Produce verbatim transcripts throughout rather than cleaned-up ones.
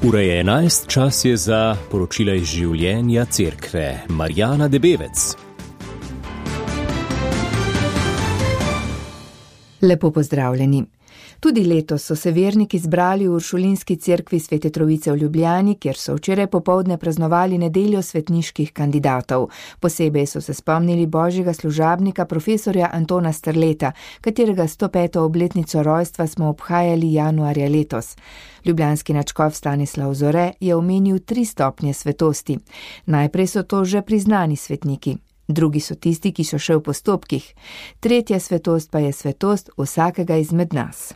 Ura je enajst, čas je za poročila iz življenja cerkve. Marjana Debevec. Lepo pozdravljeni. Tudi letos so se verniki zbrali v Uršulinski cerkvi Svete Trojice v Ljubljani, kjer so včeraj popoldne praznovali nedeljo svetniških kandidatov. Posebej so se spomnili božjega služabnika profesorja Antona Strleta, katerega sto peto obletnico rojstva smo obhajali januarja letos. Ljubljanski nadškof Stanislav Zore je omenil tri stopnje svetosti. Najprej so to že priznani svetniki. Drugi so tisti, ki so še v postopkih. Tretja svetost pa je svetost vsakega izmed nas.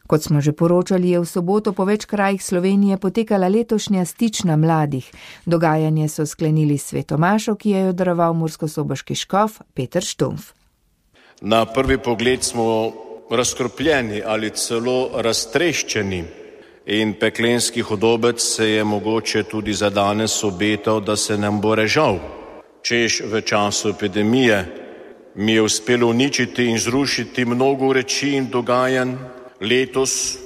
Kot smo že poročali, je v soboto po več krajih Slovenije potekala letošnja stična mladih. Dogajanje so sklenili s svetomašo, ki je jo daroval murskosoboški škof Peter Štumf. Na prvi pogled smo razkropljeni ali celo raztreščeni in peklenski hudobec se je mogoče tudi za danes obetal, da se nam bo režal. Češ v času epidemije mi je uspelo uničiti in zrušiti mnogo reči in dogajanj, letos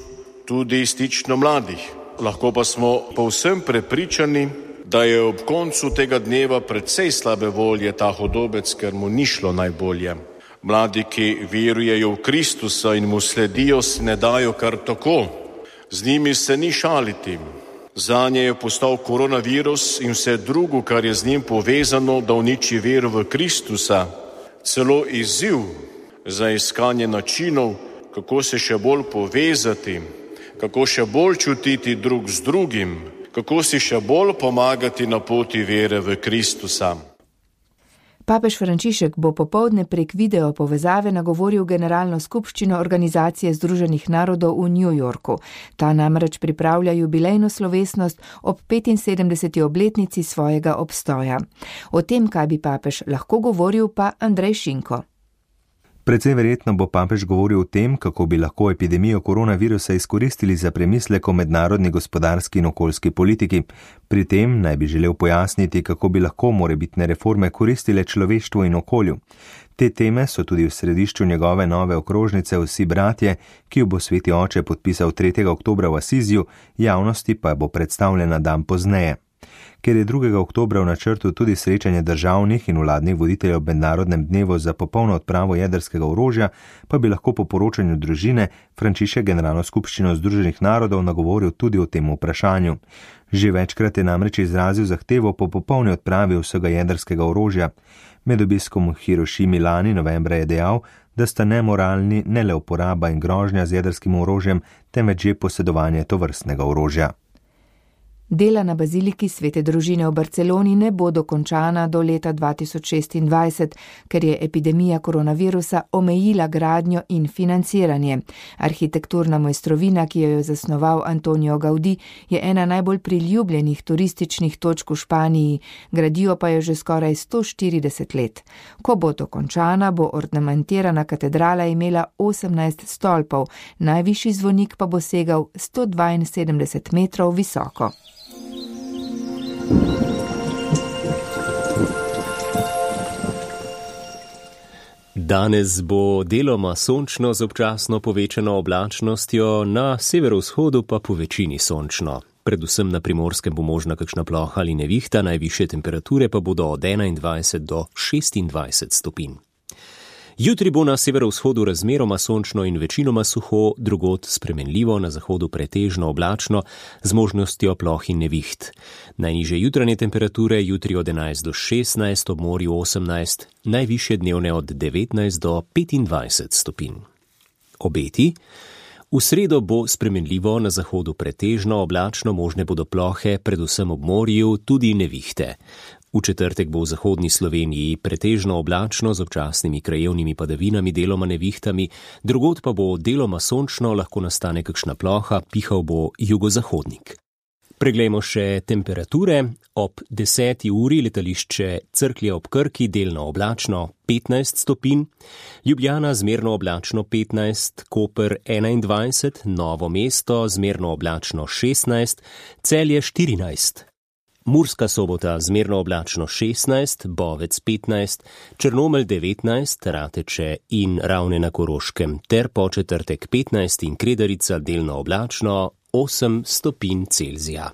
tudi stično mladih. Lahko pa smo povsem prepričani, da je ob koncu tega dneva precej slabe volje ta hudobec, ker mu ni šlo najbolje. Mladi, ki verujejo v Kristusa in mu sledijo, se ne dajo kar tako. Z njimi se ni šaliti. Zanje je postal koronavirus in vse drugo, kar je z njim povezano, da uniči vero v Kristusa, celo izziv za iskanje načinov, kako se še bolj povezati, kako še bolj čutiti drug z drugim, kako si še bolj pomagati na poti vere v Kristusa. Papež Frančišek bo popoldne prek video povezave nagovoril generalno skupščino Organizacije združenih narodov v New Yorku. Ta namreč pripravlja jubilejno slovesnost ob petinsedemdeseti obletnici svojega obstoja. O tem, kaj bi papež lahko govoril, pa Andrej Šinko. Precej verjetno bo papež govoril o tem, kako bi lahko epidemijo koronavirusa izkoristili za premislek o mednarodni gospodarski in okoljski politiki. Pri tem naj bi želel pojasniti, kako bi lahko morebitne reforme koristile človeštvu in okolju. Te teme so tudi v središču njegove nove okrožnice Vsi bratje, ki jo bo sveti oče podpisal tretjega oktobra v Asiziju, javnosti pa bo predstavljena dan pozneje. Ker je drugega oktobra v načrtu tudi srečanje državnih in vladnih voditeljev ob mednarodnem dnevu za popolno odpravo jedrskega orožja, pa bi lahko po poročanju družine Frančišek generalno skupščino Združenih narodov nagovoril tudi o tem vprašanju. Že večkrat je namreč izrazil zahtevo po popolni odpravi vsega jedrskega orožja. Med obiskom v Hirošimi lani novembra je dejal, da sta nemoralni ne le uporaba in grožnja z jedrskim orožjem, temveč že posedovanje tovrstnega orožja. Dela na baziliki Svete družine v Barceloni ne bo dokončana do leta dva tisoč šestindvajset, ker je epidemija koronavirusa omejila gradnjo in financiranje. Arhitekturna mojstrovina, ki jo je zasnoval Antonio Gaudí, je ena najbolj priljubljenih turističnih točk v Španiji, gradijo pa jo že skoraj sto štirideset let. Ko bo dokončana, bo ornamentirana katedrala imela osemnajst stolpov, najvišji zvonik pa bo segal sto dvainsedemdeset metrov visoko. Danes bo deloma sončno z občasno povečano oblačnostjo, na severovzhodu pa po večini sončno. Predvsem na Primorskem bo možna kakšna ploha ali nevihta, najvišje temperature pa bodo od enaindvajset do šestindvajset stopinj. Jutri bo na severovzhodu razmeroma sončno in večinoma suho, drugod spremenljivo, na zahodu pretežno oblačno, z možnostjo ploh in neviht. Najnižje jutranje temperature jutri od enajst do šestnajst, ob morju osemnajst, najvišje dnevne od devetnajst do petindvajset stopinj. Obeti. V sredo bo spremenljivo, na zahodu pretežno oblačno, možne bodo plohe, predvsem ob morju, tudi nevihte. V četrtek bo v zahodni Sloveniji pretežno oblačno z občasnimi krajevnimi padavinami, deloma nevihtami, drugod pa bo deloma sončno, lahko nastane kakšna ploha, pihal bo jugozahodnik. Preglejmo še temperature. Ob deseti uri letališče Cerklje ob Krki delno oblačno petnajst stopinj, Ljubljana zmerno oblačno petnajst, Koper enaindvajset, Novo mesto zmerno oblačno šestnajst, Celje štirinajst. Murska Sobota zmerno oblačno šestnajst, Bovec petnajst, Črnomelj devetnajst, Rateče in Ravne na Koroškem ter po četrtek petnajst in Kredarica delno oblačno osem stopinj Celzija.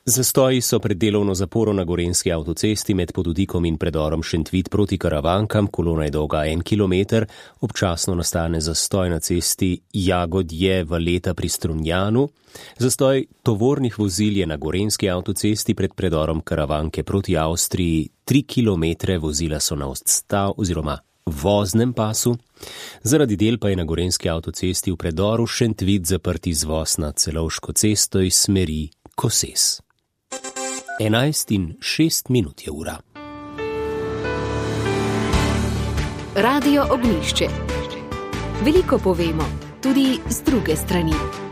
Zastoji so pred delovno zaporo na gorenjski avtocesti med Podutikom in predorom Šentvid proti Karavankam, kolona je dolga en kilometer, občasno nastane zastoj na cesti Jagodje-Valeta pri Strunjanu. Zastoj tovornih vozil je na gorenjski avtocesti pred predorom Karavanke proti Avstriji tri kilometre, vozila so na odstav oziroma voznem pasu. Zaradi del pa je na gorenjski avtocesti v predoru Šentvid zaprt izvoz na Celovško cesto iz smeri Koses. enajst in šest minut je ura. Radio Ognjišče. Veliko povemo, tudi z druge strani.